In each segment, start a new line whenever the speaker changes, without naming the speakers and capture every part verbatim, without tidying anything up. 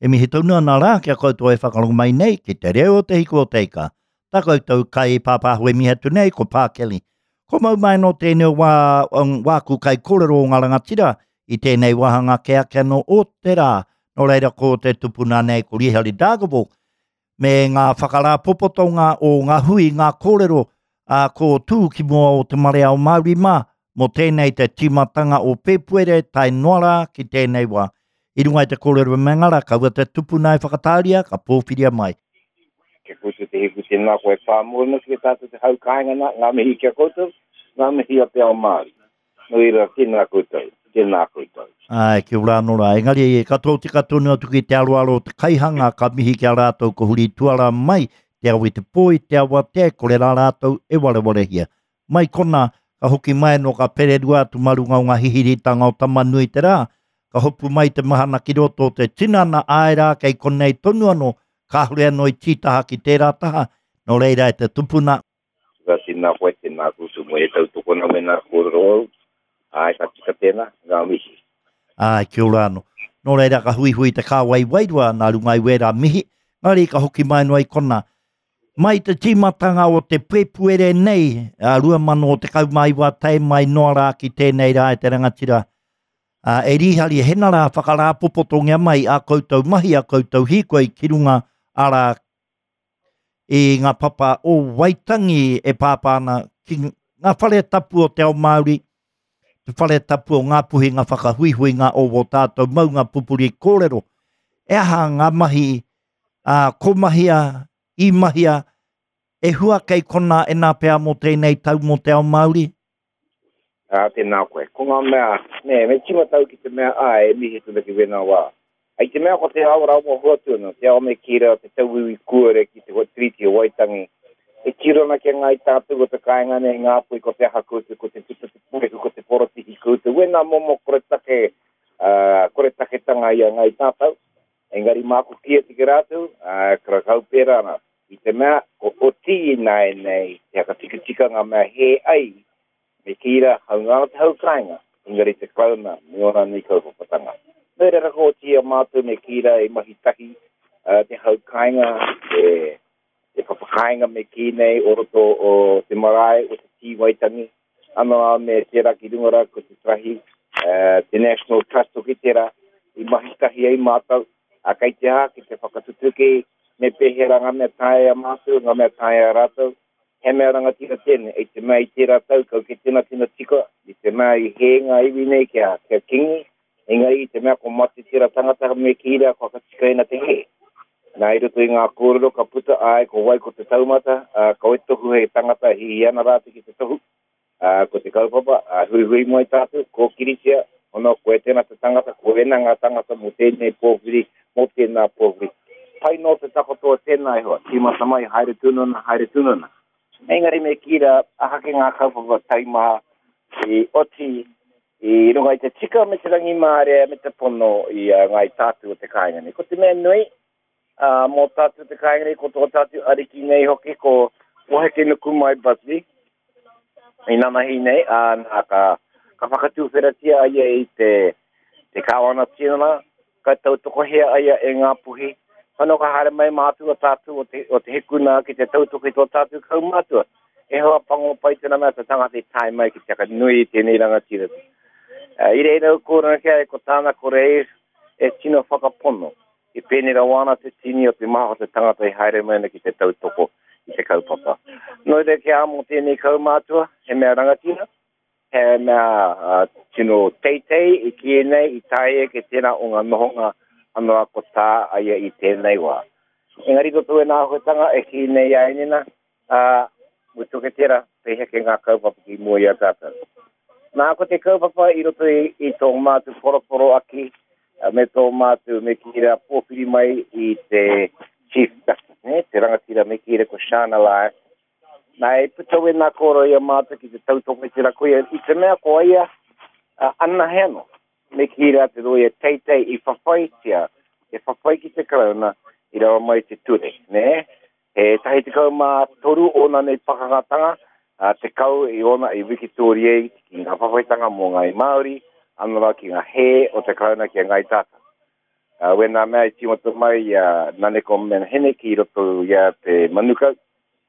E mihi tonu ana rā ki a koutou e whakarongo mai nei ki te reo o te hiku o te ika. Tā koutou kai pāpāho e mihi atu nei ko Pākeli. Ko mau mai nō tēnei wā, wāku kai kōrero o ngā rangatira i tēnei wāhanga ke ake anō o te rā. Nō reira ko te tupuna nei ko Rihari Dargaville me ngā whakarāpopotonga o ngā hui, ngā kōrero a ko tū ki mua o te marea o Māori mā, mō tēnei te tīmatanga o Pēpuere tae noa rā ki tēnei wā. I runga i te kōrero me ngara, kaua te tupuna e whakatāria, ka pōwhiria mai.
Kia koutou te hiku tēnā koe pā mōna ki tātou te hau kāinga nā, ngā mihi kia koutou, ngā mihi o te ao Māori. Nō reira, tēnā koutou, tēnā koutou.
Ai, kia ora anō rā. Engari, ka tōtika tonu atu ki te aroaro o te kaihanga, ka mihi ki a rātou ko huri tuara mai, te awe te pō i te awatea, kore rā rātou e warewarehia. Mai kona, ka hoki mai anō ka pererua atu mā runga o ngā hihiritanga o Tamanui te rā, ka hopu mai te mahana ki roto o te tinana, āe rā, kei konei tonu anō, kāore anō i tītaha ki tērā taha, nō reira e te tupuna.
Ka tēnā koe, tēnā koutou mo e tautokona me nā kōrero au, āe ka tika tēnā, ngā mihi.
Āe, kia ora anō. Nō reira ka huihui te kāwai wairua nā runga i wērā mihi, engari ka hoki mai noa i kona. Mai te tīmatanga o te Pēpuere nei, a rua mano tekau mā iwa tae mai noa rā ki tēnei rā e te rangatira, a, e Rihari, hena rā whakarāpopotongia mai a koutou mahi, a koutou hīkoi ki runga ara i ngā papa o Waitangi e pāpā ana ki ngā whare tapu o te ao Māori, te whare tapu o Ngāpuhi, ngā whakahuihuinga o wō tātou maunga pupuri kōrero. E aha ngā mahi, a, ko mahia, i mahia, e hua kei kona e nā pea mō tēnei tau mō te ao Māori?
Ā, tēnā koe. Ko ngā mea, nē, me tīmata au ki te mea, āe, e mihi tonu ki wēnā wā. Hei te mea ko te ao rawa hoatu ana, te ao me kī rā, te tauiwi kuare ki te Tiriti o Waitangi, e tiro ana ki a Ngāi Tātou o te kāinga nei, Ngāpuhi, ko te aha koutou, ko te puta te puehu, ko te porotihi koutou, wēnā momo koretake, uh, koretaketanga i a Ngāi Tātou. Engari māku ki atu ki rātou, uh, karakau pērā ana. I te mea, ko oti ināianei, te whakatikatika ngā mea hē ai, me kī rā, haunga ana te hau kāinga, engari te Karauna me ōna nei kaupapatanga. Nō reira ka oti i a mātou me kī rā i mahi tahi uh, te hau kāinga, te, te papakāinga me kī nei o roto o te marae o te Tī Waitangi, anō rā me tērā ki runga rā ko te Tarahi, uh, te National Trust hoki tērā, i mahi tahi ai mātou, a kei te aha ki te whakatutuki me pēhea rā ngā mea taea mātou, ngā mea taea rātou. He mea rangatira tēnei, i te mea i tērā tau kau ke tēnā tino tika, i te mea i hē ngā iwi nei kia, kia kingi, engari i te mea ko mate tērā tangata me kī rā kua whakatikaina te hē. Nā, i roto i ngā kōrero ka puta ai ko wai ko te taumata, ā, ka wai tohu hei tangata e hihi ana rātou ki te tohu, ā, ko te kaupapa, ā, huihui mai tātou, kōkiritia, ono, koe tēnā te tangata, ko ēnā ngā tangata mō tēnei pōwhiri, mō tēnā pōwhiri. Pai nō te takoto o tēnā e hoa, tīmata mai, haere tonu ana, haere tonu ana. Engari me kī rā, ahake ngā kaupapa taimaha i oti i runga i te tika me te rangimārie me te pono i a Ngāi Tātou o te kāinga nei. Ko te mea nui, ā, mō tātou te kāinga nei, ko tō tātou ariki nei hoki, ko Hekenukumai Busby, i nanahi nei, ā, nā, ka, ka whakatūwheratia a ia i te, te kāwana-tianara, ka tautokohia a ia e Ngāpuhi. Whano ka haere mai mātou o tātou o te, o te hekuna ki te tautoko i tō tātou kaumātua. E hoa pango pai tēnā mea te tangata i tae mai ki te whakanui i tēnei rangatira. Uh, i reira au kōrero ki a ia ko tāna kore e, e tino whakapono. I pēnei rawa ana te tini o te maha o te tangata i haere mai ana ki te tautoko i te kaupapa. Nō reira ki a mō tēnei kaumātua, he mea rangatira, he mea uh, tino teitei i kī nei i taea ke tēnā o ngā nohonga anō a ko tā a ia i tēnei wā. Engari ko tō āhuatanga e kī nei a Enina, ā, mutu ke tērā, pēhea ke ngā kaupapa ki mua i a tātou. Nā, ko te kaupapa i roto i, i tō mātou poroporoaki, me tō mātou me kī rā pōwhiri mai i te Chief Justice, ne, te rangatira me kī rā ko Sian Elias. Nā, e puta wēnā kōrero i a mātou ki te tautoko i tērā koia, i te mea ko ia anahe anō, me kī rā te rōia teitei i whawhaitia, e whawhai ki te Karauna i rawa mai te ture, nē? He tahi tekau mā toru ōna nei pakangatanga, ā, tekau i ōna i wikitōria ki ngā whawhaitanga mō Ngāi Māori, anō rā ki ngā hē o te Karauna ki a Ngāi Tātou. Uh, wena mea i tīmata mai uh, Naneko Menahene ki roto ia te Manukau.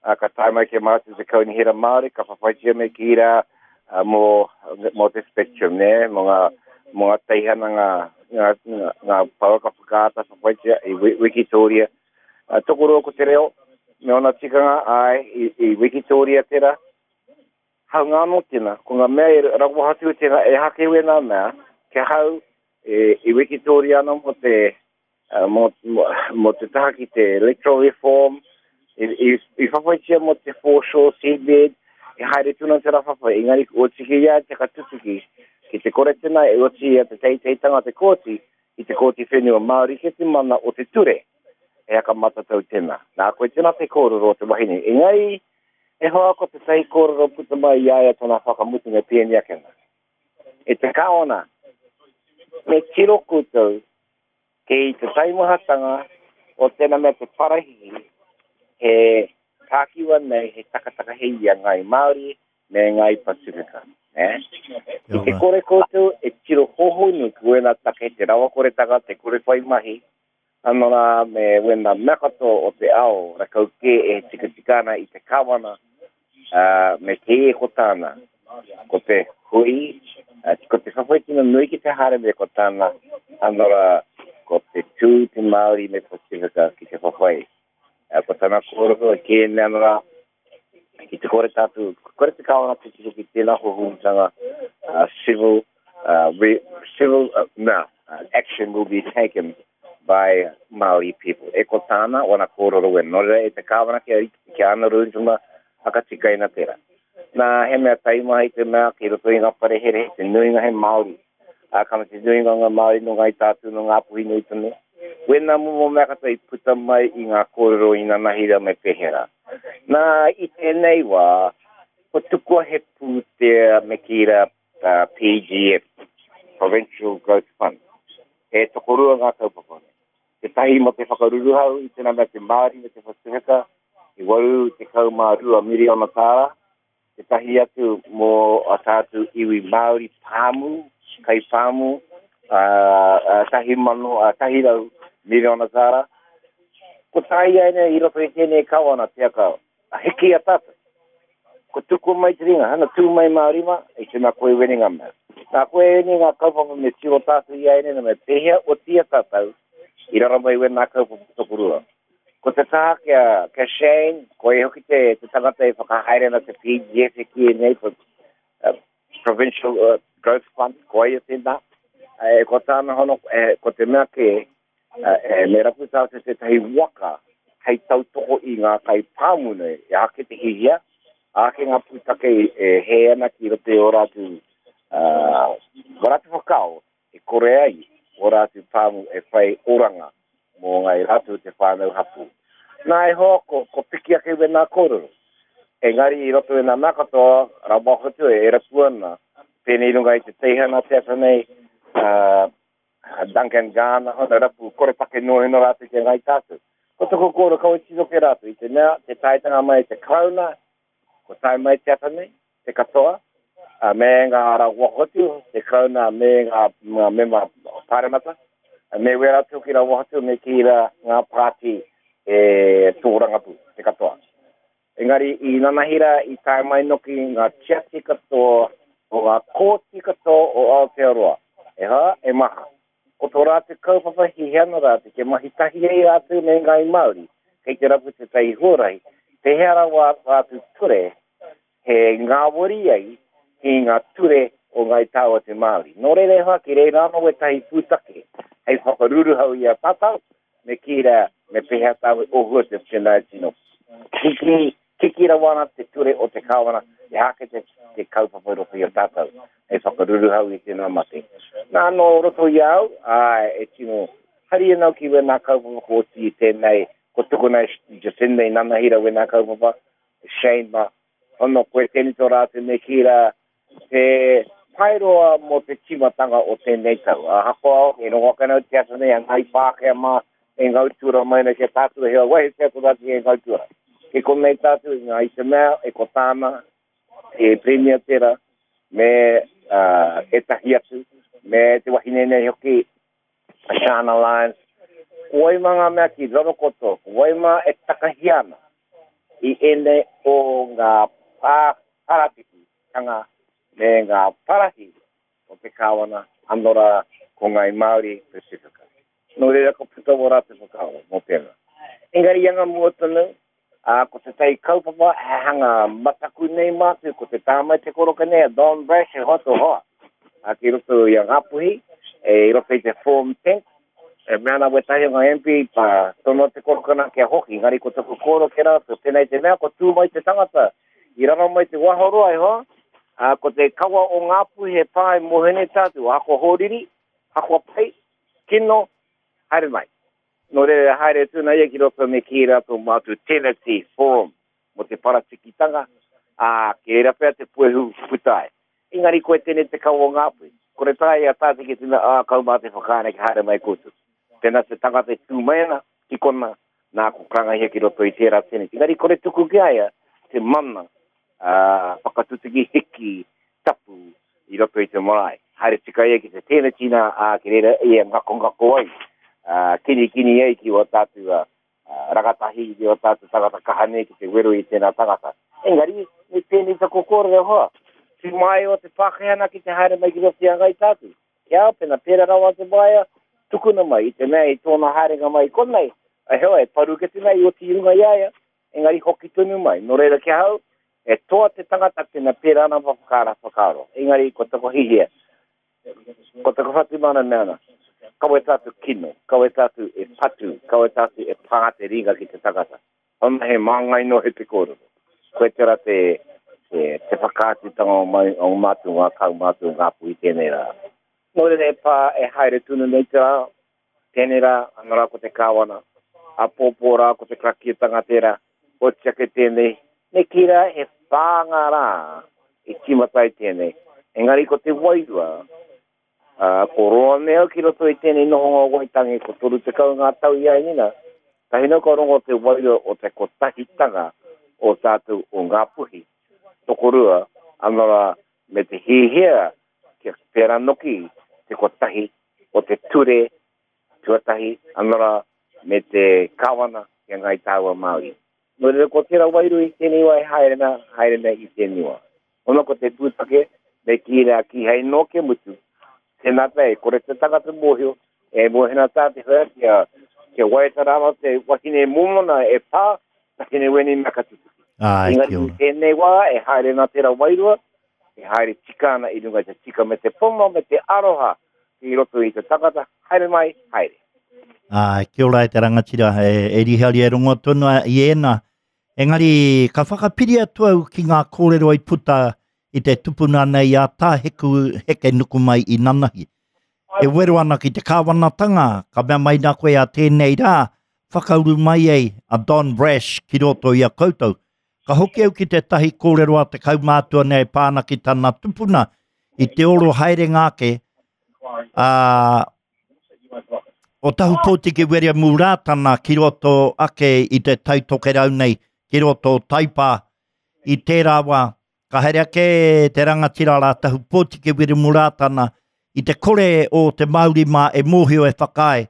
Uh, ka tae mai ke mātou te kaunihera Māori, ka whawhaitia me ki rā uh, mō, mō te spectrum, ne? Mō ngā, mō ngā teihana ngā, ngā, ngā, ngā pouaka whakaata whawhaitia i Wikitoria. Uh, tokoroa ko te reo, me ona tikanga ai i, i Wikitoria tera. Hau ngā anō tēnā, ko ngā mea e rawahatu tēnā e hake wena mea, kia hau e, i Wikitoria anō mō te, uh, mō, mō, mō te taha ki te electoral reform, i, i, i whawhaitia mō te foreshore seabed, e haere tuna te rawhawhai, engari o tiki ia te katutuki, ki te kore tēnā e oti ia te teiteitanga te kōti, i te kōti whenua Māori ke te mana o te ture, e haka matatau tēnā. Nā, koe tēnā te kōrero o te wahine. Engari, e hoa ko te tai kōrero puta mai i aia tōna whakamutunga pēni akena. E te kaona, me tiro koutou kei te taimahatanga o tēnā mea te parahihi, he tākiwa nei, he takataka hei ia ngai Māori me ngai Pasifika. Eh? I te kore koutou e tiro hohonu ki wena take te rawakoretanga, te kore whai mahi, anō rā me wena mea katoa o te ao, rakau kē e tikatika ana i te kawana, uh, me te e ko tāna. Ko te hui, uh, ko te whawhaitina nui ki te haere me ko tāna, anō rā, ko te tū te Māori me Pasifika ki te whawhai. Uh, ko tāna kōrero e kē nei anō rā, ki te kore tātou, kore te kawana te tiro ki tēnā hohunutanga, uh, civil, uh, re, civil, uh, no, uh, action will be taken by Māori people. E ko tāna, wana kōrero e nō e te kāwana kia, kia ana rūntuma, hakatikaina tērā. Nā, he mea taimaha i te mea ki roto i ngā wharehere, te nuinga he Māori. Ā, ka te nuinga ngā Māori no ngai tātou no ngā puhi nui tonu. Wena momo mea katoa i puta mai i ngā kōrero i nanahira me pehera. Nā, i tēnei wā, ko tukua he pūtea me kīra uh, P G F, Provincial Growth Fund. E tokorua ngā kaupapa nei. Te tahi mo te whakaruruhau i tēnā mea te Māori me te Pasifika, i waru te kau mā rua miriona tāra. Te tahi atu mō a tātou iwi Māori pāmu, kai pāmu, uh, uh, tahi mano, uh, tahi rau miriona tāra. Ko tāi ai nei i roto i tēnei kawana te aka, a hiki a tātou. Ko tuku mai te ringa, hana tū mai Māori mā, i tēnā koe weni ngā mea. Nā koe weni ngā kaupapa me tiro tātou i ai nei, me pēhea o tia tātou, i rara mai wena kaupapa tokorua. Ko te taha kia, kia Shane, ko e hoki te, te tangata e whakahaere na te P G F e ki e nei, for, uh, Provincial uh, Growth Fund, ko ai e tēnā. E, ko tāna hono, e, ko te mea ke, e, me rapu tātou tētahi waka hei tautoko i ngā kai pāmu nei, e ake te hihia, ake ngā pūtake e he ana ki roto i o rātou, uh, o rātou whakao, e kore ai o rātou pāmu e whai oranga mō ngai rātou te whānau hapu. Nā e hoa, ko, ko piki ake wena kōrero. Engari i roto i nā mea katoa, rawa hotu e rapu ana, pēnei runga i te teihana te ata nei, uh, Duncan Garner, hona rapu, kore take noa hino rātou ki ngai tātou. Ko toko kōrero kau e tino ke rātou, i te mea, te taetanga mai te Karauna, ko tae mai te ata nei, te katoa, uh, me ngā rawa hotu, te Karauna me ngā, ngā mema paremata, me wera atu ki rawa hotu, me ki rā ngā pāti e tōrangapu, te katoa. Engari, i nanahira, i tae mai noki ngā tiati katoa, o ngā kōti katoa o Aotearoa. E hā, e maha. Ko tō rātou kaupapa hihiana rātou, ke mahi tahi ei rātou me ngai Māori, kei te rapu te tai huarahi, te hea rawa rātou ture, he ngāwari ai ki ngā ture o ngai tāua te Māori. Nō reira e hoa, ki reira anō wetahi pūtake, hei whakaruruhau i a tātou, me ki rā, me pehea tāu ohua te tēnā tino. Kiki, kiki rawana te ture o te kāwana, e hake te, te kaupapa roto i a tātou, hei whakaruruhau i tēnā mate. Nā nō roto i au, ā, e tino hari anau ki wēnā kaupapa ko oti i tēnei, ko tukuna e Jacinda i nanahira wēnā kaupapa, Shane ma, hono koe tēnei tō rātou me ki rā, te paeroa mō te tīmatanga o tēnei tau. A hakoa, e rongo ake nau te ata nei, a ngai Pākehā mā, e ngautura mai nei kia tātou hea wahi te ata rātou e ngautura. Ke konei tātou i ngā i te mea, e ko tāna, e Premier tera, me uh, e tahi atu, me te wahine nei hoki, Shan Alliance, ko wai mā ngā mea ki raro koto, ko wai mā e takahi ana i ēnei o ngā pā parapiki-tanga me ngā parahi o te kāwana, anō rā ko Ngāi Māori Pasifika. Nō reira ka puta wō rātou whakaaro mō tēnā. Engari i anga mua tonu, ā, ko tētahi kaupapa he hanga mataku nei mātou, ko te taha mai te koroka nei a Don Brash he hoa tō hoa, ā, ki roto i a Ngāpuhi, e, i roto i te Forum Tent, e mea ana wētahi o ngā M P, pā, tonoa te koroka nā kia hoki, engari ko taku kōrero ki a rātou, tēnei te mea ko tū mai te tangata, i raro mai te waharoa e hoa, ā, ko te kawa o Ngāpuhi he pā e mōhio nei tātou, ahakoa hōriri, ahakoa pai, kino, haere mai. Nō reira, haere atu ana ia ki roto me kī rā tō mātou Tenancy Forum mō te paratikitanga, ā, ki reira pea te puehu puta ai. Engari koe tēnei te kawa o Ngāpuhi. Kore taea i a tātou ki te mea, ā, kau mā te whakaana ki haere mai koutou. Tēnā te tangata e tū mai ana ki kona, nā, ko karangahia ki roto i tērā tenancy. Engari kore tuku ki a ia te mana, ā, whakatutuki hiki tapu i roto i te marae. Haere tika ia ki te tēneti nā, ā, ki reira ia ngakongako ai, ā, kinikini ai ki wā tātou ā, rangatahi, ki wā tātou tangata kaha nei ki te wero i tēnā tangata. Engari, me pēnei taku kōrero e hoa, tū mai o te Pākehā nā ki te haere mai ki roto i a Ngāi Tātou. Kia ao, pēnā pērā rawa te waea, tukuna mai i te mea i tōna haerenga mai i konei, e hoa, e paru kete nei i oti i runga i a ia, engari hoki tonu mai. Nō reira ki ahau, e toa te tangata pena pērā ana whakaara whakaaro. Engari ko taku hihia, ko taku whatumana mea ana, kawe tātou kino, kawe tātou e patu, kawe tātou e pā te ringa ki te tangata. Hona he māngai noa he te kōrero. Koe tērā te, te, te whakaatutanga o, mai, o mātou ngā kaumātua o Ngāpuhi tēnei rā. Nō reira e pā e haere tonu nei te rā, tēnei rā, ana rā ko te kāwana, āpōpō rā ko te karakiatanga tērā, oti ake tēnei, me kī rā he whā ngā rā i tīmata ai tēnei, engari ko te wairua, ā, ko roa nei au ki roto i tēnei nohonga o Waitangi, ko toru tekau ngā tau i a Nina, tahi nō ka rongo te wairua o te kotahitanga o tātou o Ngāpuhi, tokorua, ana rā, me te hiahia kia pērā noki te kotahi o te ture tuatahi, anō rā, me te kāwana ki a Ngāi Tāua Māori. Nō reira, ko tērā wairua i tēnei wā e haere ana, haere ana i tēnei wā. Ona ko te pūtake, me kī rā, kīhai nō kia mutu, tēnā pea e kore te tangata mōhio, e mōhio ana tā te whea kia, kia waiata rānō te wahine mōmona e pā, takine wēnei mea ka tutuki.
Āe,
Engari
kia
i
ora.
tēnei wā e haere ana tērā wairua, e haere tika ana i runga i te tika me te pono me te aroha ki roto i te tangata, haere mai, haere.
Āe, kia ora e te rangatira, e, e Rihari e rongo tonu a i ēnā. Engari, ka whakapiri atu au ki ngā kōrero i puta i te tupuna nei a Tā Heku Heke Nukumai i nanahi. E wero ana ki te kāwanatanga, ka mea mai nā koe a tēnei rā, whakauru mai ai a Don Brash ki roto i a koutou. Ka hoki au ki tētahi kōrero a te kaumātua nei e pā ana ki tana tupuna i te oro haerenga ake a o Tahupōtiki Wiremu Rātana ki roto ake i te Tai Tokerau nei, ki roto o Taipā. I tērā wā, ka haere ake te rangatira rā Tahupōtiki Wiremu Rātana i te kore o te Māori mā e mōhio e whakaae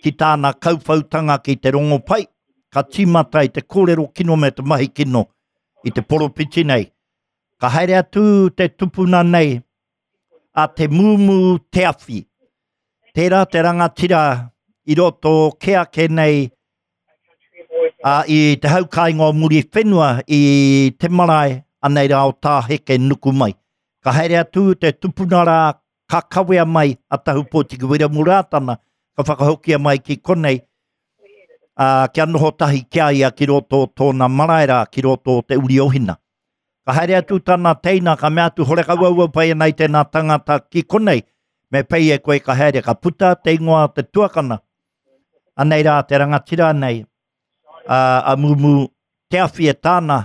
ki tāna kauwhautanga ki te rongopai, ka tīmata i te kōrero kino me te mahi kino i te poropiti nei. Ka haere atu te tupuna nei a Te Mūmū Te Awhi. Tērā te rangatira i roto kē ake nei a, i te hau kāinga o Muriwhenua i te marae anei rā o Tāheke nuku mai. Ka haere atu te tupuna rā ka kawea mai a Tahupōtiki Wiremu Rātana, ka whakahokia mai ki konei, ā, kia noho tahi ki a ia ki roto o tōna marae rā, ki roto o Te Uri o Hina. Ka haere atu tana teina, ka mea atu, horekau au au pai ana i tēnā tangata ki konei, me pei e koe ka haere, ka puta te ingoa o te tuakana. Anei rā te rangatira nei, a, a Mumu Te Awhi e tāna,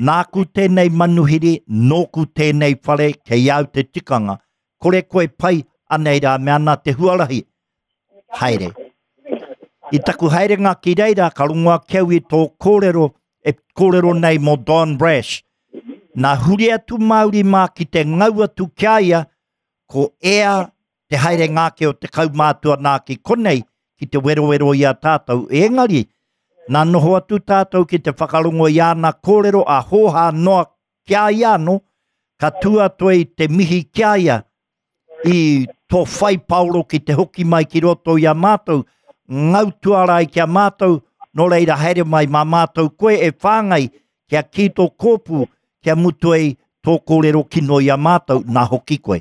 nāku tēnei manuhiri, nōku tēnei whare, kei au te tikanga. Kore koe pai, anei rā, me ana te huarahi, haere. I taku haerenga ki reira, ka rongo ake au i tō kōrero, e kōrero nei mō Don Brash. Nā huri atu Māori mā ki te ngau atu ki a ia, ko ea te haere ngāke o te kaumātua nā ki konei, ki te werowero i a tātou. Engari, nā noho atu tātou ki te whakarongo i āna kōrero a hōhā noa ki a ia anō, ka tua toe i te mihi ki a ia i tō whai paoro ki te hoki mai ki roto i a mātou, ngau tuarai ki a mātou, nō reira haere mai mā mātou koe e whāngai kia ki tō kōpū, kia mutu ai tō kōrero kino i a mātou, nā hoki koe.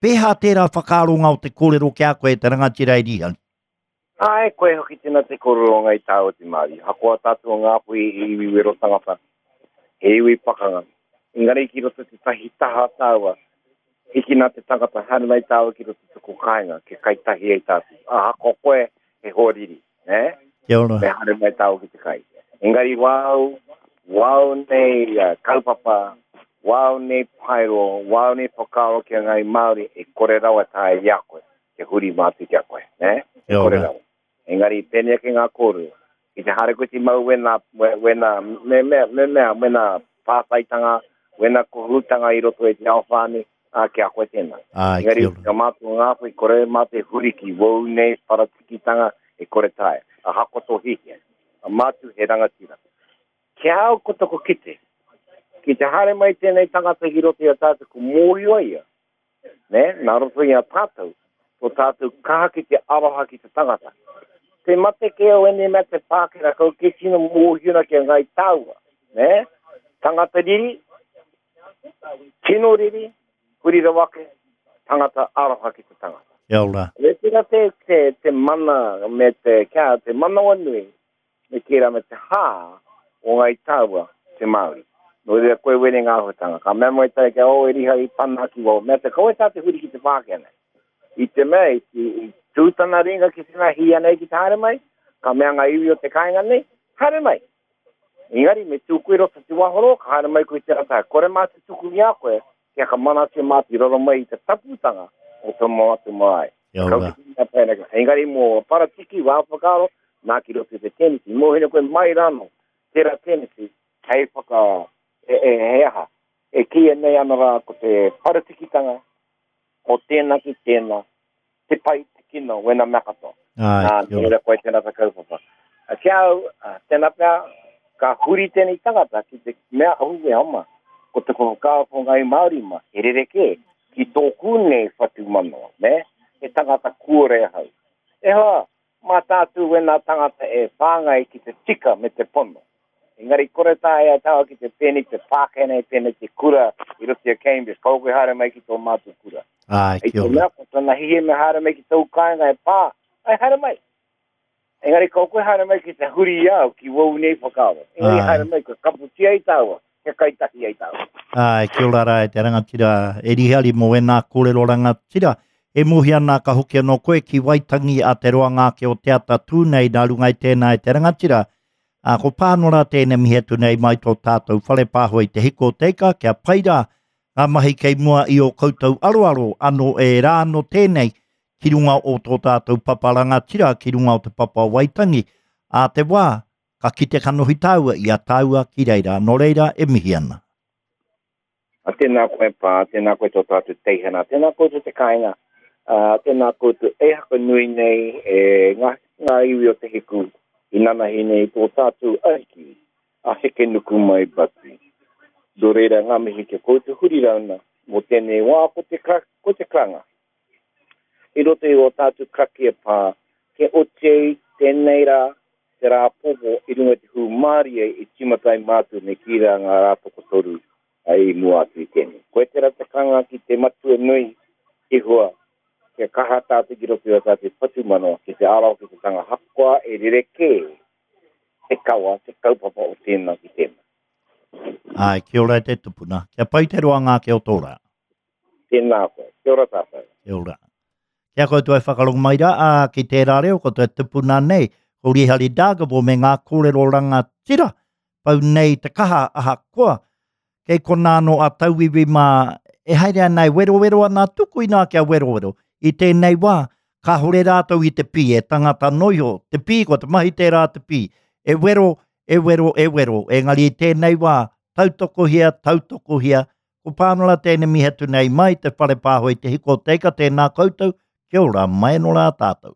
Pēhā tērā whakaaronga o te kōrero ki a koe te rangatira e Rihari?
Ai, koe hoki tēnā te kōrero ngai tāu te Māori. Hakoa tātou o Ngāpuhi i iwi wero tangata, he iwi pakanga. Engari ki roto te tahi taha tāua, hiki nā te tangata haere mai tāua ki roto te ko kāinga, ke kai tahi ai tātou. Ahakoa koe he hoariri, ne?
Kia ora.
Me haere mai tāua ki te kai. Engari wau, wau nei uh, kaupapa, wau nei paero, wau nei whakaaro ki a ngai Māori e kore rawa tae i a koe, ke huri mātu ki a koe, ne? E
Kia
kore
ora.
rawa. Engari pēnei ake ngā kōrero. I te haere koe ti mau wena, wena, me mea, me mea, wena pātaitanga, wena kohutanga i roto i te ao whānui, a ki a koe tēnā.
Ai,
Engari,
kia ora.
ka mātou Ngāpuhi, kore mā te huri ki wau nei paratikitanga e kore tae. Ahakoa tō hihia. A mātu he rangatira. Kia au ko toko kite. Ki te haere mai tēnei tangata ki roto i a tātou, ko mōhio ia. Ne? Nā roto i a tātou, tō tātou kaha ki te aroha ki te tangata. Te mate ke au ene mea te Pākehā, kau ke tino mōhio na ki a ngai tāua. Ne? Tangata riri, tino riri, huri rawake, tangata aroha ki te tangata.
Kia ora.
Me tērā te, te, te mana, me te, kia, te manawa nui, me tērā me te hā o ngai tāua te Māori. Nō reira koe wene ngā āhuatanga. Ka mea mai tai kia o e riha i pana ki wau. Mea te kawe tā te huri ki te Pākehā nei. I te mea, i, i, i tūtana ringa ki tēnā hia nei ki te haere mai, ka mea ngā iwi o te kāinga nei, haere mai. Engari, me tū koe roto te wahoro, ka haere mai koe te rata. Kore mā te tuku i a koe, kia ka mana te mā te roro mai i te taputanga o tō mātu marae.
Kia
Kau
ora.
ki te mea pēnei. Engari mō paratiki, wā whakaaro, nā ki roto i te tenisi. Mōhina koe mai rāno, tērā tenisi, hei whaka, e, e, he aha. E kia nei ana rā ko te paratikitanga, o tēnā ki tēnā, te pai, te kino, wena mea katoa.
Ai,
Nā,
kia ora.
tērā koe tēnā te kaupapa. A kia au, a, tēnā pea, ka huri tēnei tangata ki te mea ahu e homa, ko te whakaaro ngai Māori ma, he rerekē, ki tōku nei whatu manawa, ne? He tangata kuore ahau. E hoa, mā tātou wena tangata e whāngai ki te tika me te pono. Engari kore tae a tāua ki te pēnei te Pākehā nei, pēnei te kura i roto i a Cambridge, kau koe haere mai ki tō mātou kura.
Ai,
I
kia
te
ora.
mea, ko tana hihi me haere mai ki tōu kāinga e pā, ai haere mai. Engari kau koe haere mai ki te huri i au, ki wau nei whakaaro. Engari
Ai.
haere mai, ka kaputia i tāua, kia kaitahi ai tāua.
Ai, kia ora rā e te rangatira e Rihari mō ēnā kōrero rangatira. E mohi ana ka hoki anō koe ki Waitangi a te roanga ake o te ata tū nei nā runga i tēnā e te rangatira. A, ko Pānora tēnei mihi atu nei mai tō tātou whare pāho i te hiko o te ika, kia pai rā ngā mahi kei mua i o koutou aroaro anō e rā anō tēnei ki runga o tō tātou papa rangatira, ki runga o te papa Waitangi. A te wā, ka kite kanohi tāua i a tāua ki reira. Nō reira e mihi ana.
A tēnā koe pā, tēnā koe tō tātou teihana, tēnā koutou te kāinga, a, tēnā koutou e haka nui nei e ngā, ngā iwi o te hiku i nanahi nei tō tātou ariki, a heke nuku mai batu. Nō reira ngā mihi kia koutou huri rauna mō tēnei wā ko te, kra, ko te kranga. I roto i o tātou krakia pā, ke oti ai tēnei rā, te rā popo i runga i te hūmārie i tīmata ai mātou me ki rā ngā rā tokotoru ai mua atu i tēnei. Koe tērā te kanga ki te matua nui i hua, kia kaha tātou ki roto i o tātou whatumanawa, ki te aro ki te tanga hakoa e rerekē te kawa, te kaupapa o tēnā ki tēnā.
Ai, kia ora e te tupuna. Kia pai te roanga ake o tō rā.
Tēnā koe, kia ora tātou.
Kia ora. Kia koutou e whakarongo mai rā, ā, ki tērā reo, ko te tupuna nei, ko Rihari Dargaville me ngā kōrero rangatira, pau nei te kaha ahakoa, kei kona anō a tauiwi mā, e haere ana e werowero ana tuku inā kia werowero. I tēnei wā, kāhore rātou i te pī, e tangata noiho, te pī, ko te mahi tērā te pī, e wero, e wero, e wero. Engari i tēnei wā, tautokohia, tautokohia, ko Pānora tēnei mihi atu nei mai te whare pāho i te hiko o te ika, tēnā koutou, Kia ora, mai no rā tātou.